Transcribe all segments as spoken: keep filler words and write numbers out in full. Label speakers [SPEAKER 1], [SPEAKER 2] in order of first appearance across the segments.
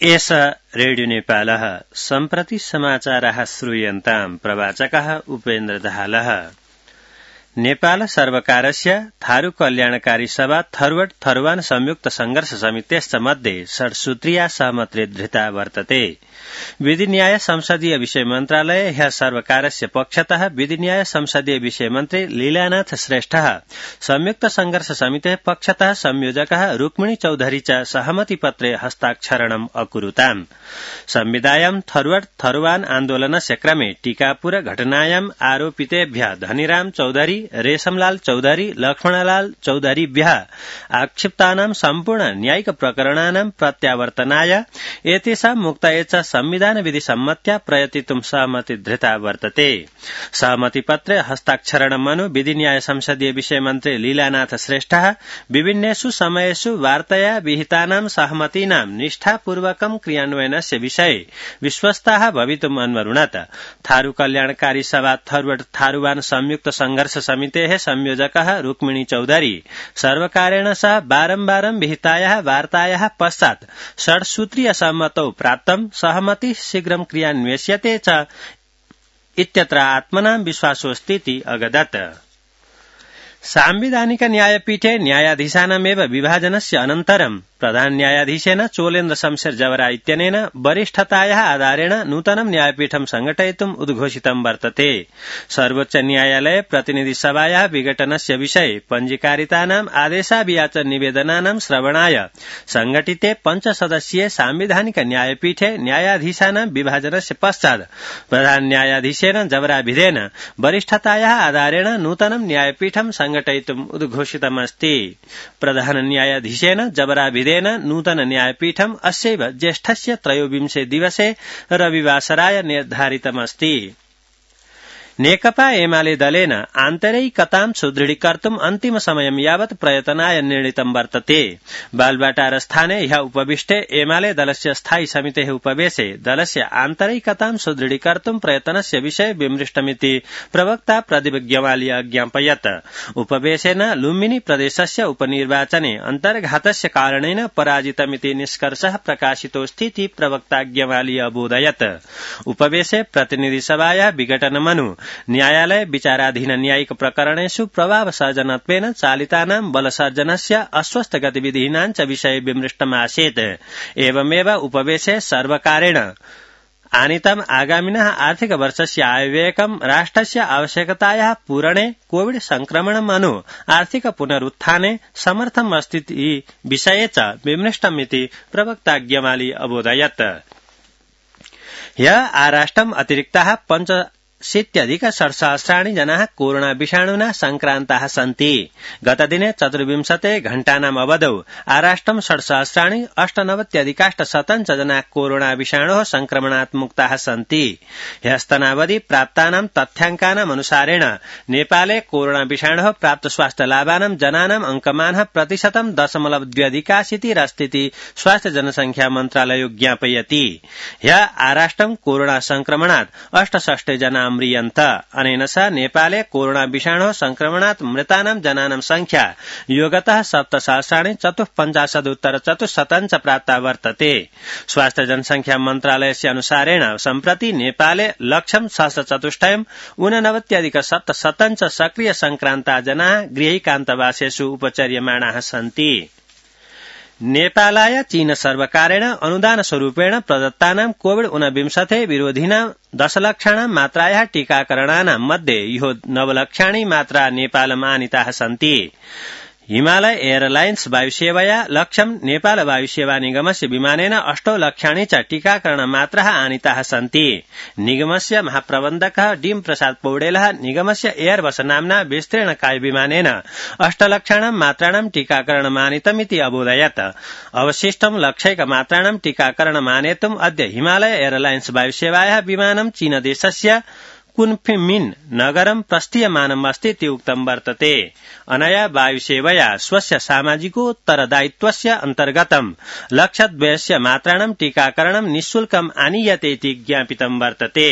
[SPEAKER 1] एष रेडियो नेपालः सम्प्रति समाचाराः श्रूयन्ताम् प्रवाचकः उपेन्द्र दाहालः। नेपाल सर्वकारस्य थारू कल्याणकारी सभा थरुवट थरुवान संयुक्त संघर्ष समितेश्च मध्ये षड्सूत्रीया सहमति धृता वर्तते। विधि न्याय संसदीय विषय मन्त्रालय ह्यः सर्वकारस्य पक्षतः विधि न्याय संसदीय विषय मन्त्री लीलानाथ श्रेष्ठः संयुक्त संघर्ष समितेः पक्षतः संयोजकः रुक्मिणी चौधरी च सहमति पत्रे हस्ताक्षरणम् अकुरुताम्। संविदायां थरुवट थरुवान आन्दोलनस्य क्रमे टीकापुर घटनायाम् आरोपितेभ्यः धनीराम चौधरी रेशमलाल चौधरी लक्ष्मणलाल चौधरीभ्यः आक्षिप्तानां सम्पूर्ण न्यायिक प्रकरणानां प्रत्यावर्तनाय एतेषां मुक्तये च संविधान विधि सम्मत्या प्रयतितुं सहमति धृता वर्तते। सहमति पत्रे हस्ताक्षरणमनु विधि न्याय संसदीय विषय मन्त्री लीलानाथ श्रेष्ठः विभिन्नेषु समयेषु वार्तया विहितानां सहमतीनां निष्ठापूर्वकं क्रियान्वयनस्य विषये विश्वस्ताः भवितुम् अन्वरुणत। थारू कल्याणकारी सभा थरुवट थारूवान संयुक्त संघर्ष समितेः संयोजकः रुक्मिणी चौधरी सर्वकारेण सह बारम्बारं विहितायाः वार्तायाः पश्चात् षड्सूत्रीय सहमतौ प्राप्तं सहमति शीघ्रं क्रियान्वेष्यते च इत्यत्र आत्मनां विश्वासोऽस्तीति अगदत्। सांविधानिक न्यायपीठे न्यायाधीशानामेव विभाजनस्य अनन्तरं प्रधान न्यायाधीशेन चोलेन्द्र शमशेर जवरा इत्यनेन वरिष्ठतायाः आधारेण नूतनं न्यायपीठं संघटयितुम् उद्घोषितं वर्तते। सर्वोच्च न्यायालय प्रतिनिधि सभायाः विघटनस्य विषये पञ्जीकारितानाम् आदेशाभियाचन निवेदनानां श्रवणाय संघटिते पञ्चसदस्यीय सांविधानिक न्यायपीठे न्यायाधीशानां विभाजनस्य पश्चात् प्रधान न्यायाधीशेन जवराभिधेन वरिष्ठतायाः आधारेण नूतनं न्यायपीठं संघटयितुम् उद्घोषितमस्ति। प्रधान न्यायाधीशेन जवराभिधेन नूतन न्यायपीठम् अस्यैव ज्येष्ठस्य त्रयोविंशे दिवसे रविवासराय निर्धारितमस्ति। नेकपा एमाले दलेन आन्तरिकतां सुदृढीकर्तुम् अन्तिम समयं यावत् प्रयतनाय निर्णीतं वर्तते। बालबाटार स्थाने ह्यः उपविष्टे एमाले दलस्य स्थायी समितेः उपवेशे दलस्य आन्तरिकतां सुदृढीकर्तुम् प्रयतनस्य विषये विमृष्टमिति प्रवक्ता प्रदीप ग्यवाली अज्ञापयत्। उपवेशेन लुम्बिनी प्रदेशस्य उपनिर्वाचने अन्तर्घातस्य कारणेन पराजितमिति निष्कर्षः प्रकाशितोऽस्तीति प्रवक्ता ग्यवाली अबोधयत्। उपवेशे प्रतिनिधि सभायाः विघटनमनु न्यायालय विचाराधीन न्यायिक प्रकरणेषु प्रभावसर्जनत्वेन चालितानां बलसर्जनस्य अस्वस्थ गतिविधीनां च विषये विमृष्टमासीत्। एवमेव उपवेशे सर्वकारेण आनीतम् आगामिनः आर्थिक वर्षस्य आयव्ययकं राष्ट्रस्य आवश्यकतायाः पूरणे कोविड संक्रमणम् अनु आर्थिक पुनरुत्थाने समर्थम् अस्ति विषये च विमृष्टमिति प्रवक्ता ग्यवाली अबोधयत्। ह्यः आराष्ट्रम् अतिरिक्ताः पञ्च शीत्यधिक षट्सहस्राणि जनाः कोरोना विषाणुना संक्रान्ताः सन्ति। गतदिने चतुर्विंशते घण्टानाम् अवधौ आराष्ट्रं षट्सहस्राणि अष्टनवत्यधिकाष्टशतं च जनाः कोरोना विषाणोः संक्रमणात् मुक्ताः सन्ति। ह्यस्तनावधि प्राप्तानां तथ्याङ्कानाम् अनुसारेण नेपाले कोरोना विषाणोः प्राप्त स्वास्थ्य लाभानां जनानाम् अङ्कमानः प्रतिशतं दशमलव द्व्यधिकाशीतिरस्तीति स्वास्थ्य जनसंख्या मन्त्रालयो ज्ञापयति। ह्यः आराष्ट्रं कोरोना संक्रमणात् अष्टषष्टि जना म्रियन्त। अनेन सह नेपाले कोरोना विषाणोः संक्रमणात् मृतानां जनानां संख्या योगतः सप्तसहस्राणि चतुःपञ्चाशदुत्तर चतुश्शतं च प्राप्ता वर्तते। स्वास्थ्य जनसंख्या मन्त्रालयस्य अनुसारेण सम्प्रति नेपाले लक्षं सहस्रचतुष्टयम् ऊननवत्यधिक सप्तशतं च सक्रिय संक्रान्ता जनाः गृहैकान्तवासेषु उपचर्यमाणाः सन्ति। नेपालाय चीन सर्वकारेण अनुदान स्वरूपेण प्रदत्तानां कोविड ऊनविंशति विरोधिनां दशलक्षाणां मात्रायाः टीकाकरणानां मध्ये इहो नवलक्षाणि मात्रा नेपालम् आनीताः सन्ति। हिमालय एयरलाइन्स वायुसेवया लक्ष्यं नेपाल वायुसेवा निगमस्य विमानेन अष्टौ लक्षाणि च टीकाकरण मात्राः आनीताः सन्ति। निगमस्य महाप्रबन्धकः डीम प्रसाद पौडेलः निगमस्य एयरबस नाम्ना विस्तीर्णकाय विमानेन अष्टलक्षाणां मात्राणां टीकाकरणमानीतमिति अबोधयत्। अवशिष्टं लक्षैक मात्राणां टीकाकरणमानेतुम् अद्य हिमालय एयरलाइन्स वायुसेवायाः विमानं चीनदेशस्य कुन्फिमिन नगरं प्रस्थीयमानम् अस्ति इति उक्तं वर्तते। अनया वायुसेवया स्वस्य सामाजिकोत्तरदायित्वस्य अन्तर्गतं लक्षद्वयस्य मात्राणां टीकाकरणं निःशुल्कम् आनीयते इति ज्ञापितं वर्तते।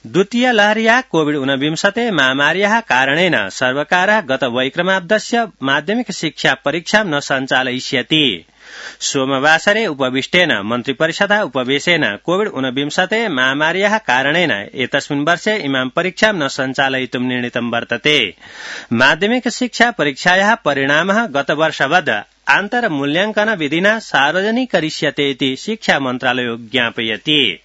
[SPEAKER 1] द्वितीय लहर्या कोविड ऊनविंशति महामार्याः कारणेन सर्वकारः गत वैक्रमाब्दस्य माध्यमिक शिक्षा परीक्षां न सञ्चालयिष्यति। सोमवासरे उपविष्टेन मन्त्रिपरिषदा उपवेशेन कोविड ऊनविंशति महामार्याः कारणेन एतस्मिन् वर्षे इमां परीक्षां न सञ्चालयितुं निर्णीतं वर्तते। माध्यमिक शिक्षा परीक्षायाः परिणामः गतवर्षवद् आन्तरमूल्यांकन विधिना सार्वजनिकरिष्यते इति शिक्षा मन्त्रालयो ज्ञापयति।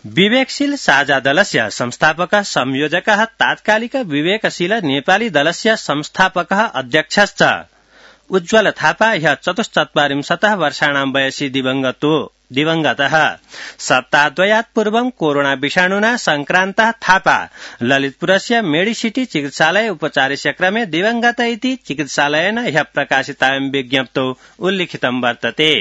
[SPEAKER 1] विवेकशील साझा दलस्य संस्थापकः संयोजकः तात्कालिक विवेकशील नेपाली दलस्य संस्थापकः अध्यक्षश्च उज्ज्वल थापा ह्यः चतुश्चत्वारिंशतः वर्षाणां वयसि दिवंगतो दिवंगतः। सप्ताहद्वयात् पूर्वं कोरोना विषाणुना संक्रान्तः थापा ललितपुरस्य मेडिसिटी चिकित्सालये उपचारस्य क्रमे दिवंगत इति चिकित्सालयेन ह्यः प्रकाशितायां विज्ञप्तौ उल्लिखितं वर्तते।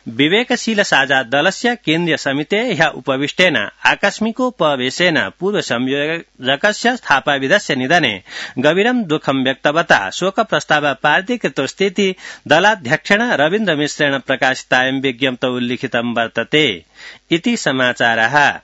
[SPEAKER 1] विवेकशील साझा दलस्य केन्द्रीय समितेः ह्यः उपविष्टेन आकस्मिकोपवेशेन पूर्व संयोजकस्य थापाविधस्य निधने गभीरं दुःखं व्यक्तवता शोक प्रस्तावः पारितीकृतोऽस्तीति दलाध्यक्षेण रवीन्द्र मिश्रेण प्रकाशितायां विज्ञप्तौ उल्लिखितं वर्तते। इति समाचारः।